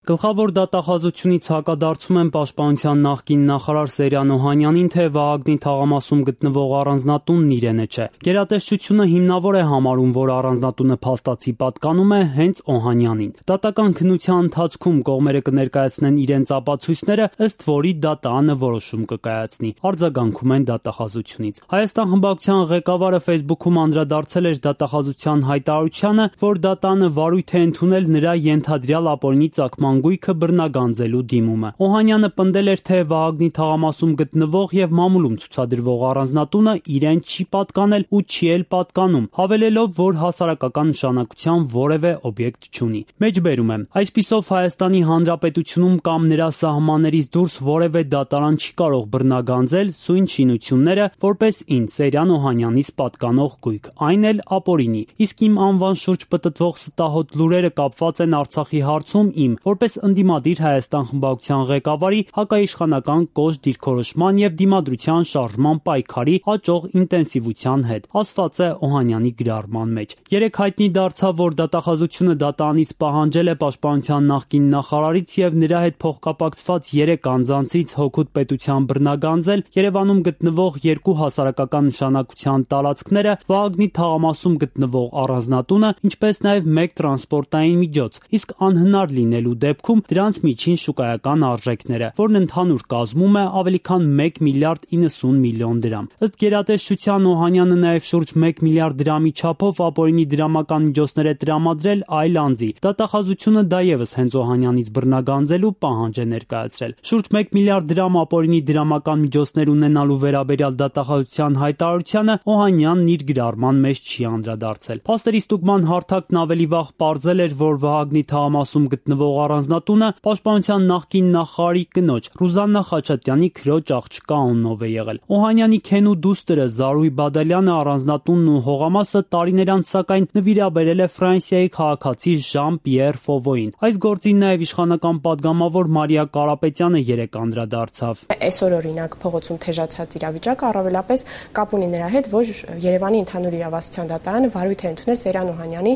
Գլխավոր դատախազությունից հակադարձում են Պաշտպանության նախկին նախարար Սերյան Օհանյանին, թե Վահագնի թաղամասում գտնվող առանձնատունն իրենը չէ։ Գերատեսչությունը հիմնավոր է համարում, որ առանձնատունը փաստացի պատկանում է հենց Օհանյանին։ Դատական քննության ընթացքում կողմերը կներկայացնեն իրենց ապացույցները, ըստ որի դատարանը որոշում կկայացնի։ Արձագանքում են դատախազությունից։ Հայաստան խմբակցության ղեկավարը Facebook-ում անդրադարձել էր դատախազության հայտարարությանը, որ դատարանը վարույթ է ընդունել նրա ենթադրյալ ապօրինի ծագման գույքը բռնագանձելու դիմումը։ Օհանյանը պնդել էր, թե Վահագնի թաղամասում գտնվող եւ մամուլում ցուցադրվող առանձնատունը իրեն չի պատկանել ու չի էլ պատկանում, հավելելով, որ հասարակական նշանակության որևէ օբյեկտ չունի։ Մեջբերում եմ. այսպիսով Հայաստանի Հանրապետությունում կամ նրա սահմաններից դուրս որևէ դատարան չի կարող բռնագանձել սույն շինությունները որպես ինձ Սերյան Օհանյանից պատկանող գույք, այն էլ ապօրինի։ Իսկ իմ անվան շուրջ պտտվող ստահոդ լուրերը կապված են Արցախի հարցում իմ որպես ընդդիմադիր Հայաստան խմբակցության ղեկավարի հակաիշխանական կոշտ դիրքորոշման եւ դիմադրության շարժման պայքարի աճող ինտենսիվության հետ, ասված է Օհանյանի գրառման մեջ։ Երեկ հայտնի դարձավ, որ դատախազությունը դատարանից պահանջել է Պաշտպանության նախկին նախարարից եւ նրա հետ փոխկապակցված 3 անձանցից հօգուտ պետության բռնագանձել Երևանում գտնվող 2 հասարակական նշանակության տարածքները, Վահագնի թաղամասում գտնվող առանձնատունը, ինչպես նաեւ 1 տրանսպորտային միջոց, իսկ անհնար լինելու դեպքում դրանց միջին շուկայական արժեքները, որն ընդհանուր կազմում է ավելի քան 1 միլիարդ 90 միլիոն դրամ։ Ըստ գերատեսչության Օհանյանը նաև շուրջ 1 միլիարդ դրամի չափով ապօրինի դրամական միջոցներ է տրամադրել այլ անձի։ Դատախազությունը դա ևս հենց Օհանյանից բռնագանձելու պահանջ է ներկայացրել։ Շուրջ 1 միլիարդ դրամ ապօրինի դրամական միջոցներ ունենալու վերաբերյալ դատախազության հայտարարությանը Օհանյանն իր գրառման մեջ չի անդրադարձել։ Փաստերի ստուգման հարթակն ավելի վաղ պարզել էր, որ Վահագնի թաղամասում գտնվող առանձնատունը Պաշտպանության նախկին նախարարի կնոջ Ռուզաննա Խաչատրյանի քրոջ աղջկա անունով է եղել։ Օհանյանի քենու դուստրը Զարուհի Բադալյանը առանձնատունն ու հողամասը տարիներ անց սակայն նվիրաբերել է Ֆրանսիայի քաղաքացի Ժան-Պիեր Ֆովոյին։ Այս գործին նաև իշխանական падգամավոր Մարիա Կարապետյանը երեկ անդրադարձավ։ Այսօր օրինակ փողոցում թեժացած իրավիճակը առավելապես կապ ունի նրա հետ, որ Երևանի ընդհանուր իրավասության դատարանը վարույթ է ընդունել Սերյան Օհանյանի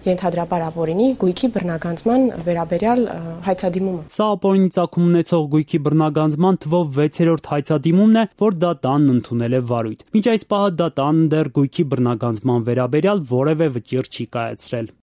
ենթադրաբար ապօրինի գույքի բռնագանձման վերաբերյալ հայցադիմումը։ Սա ապօրինի ծագում ունեցող գույքի բռնագանձման թվով 6-րդ հայցադիմումն է, որ դատարանն ընդունել է վարույթ։ Մինչ այս պահը դատարանն դեռ գույքի բռնագանձման վերաբերյալ որևէ վճիռ չի կայացրել։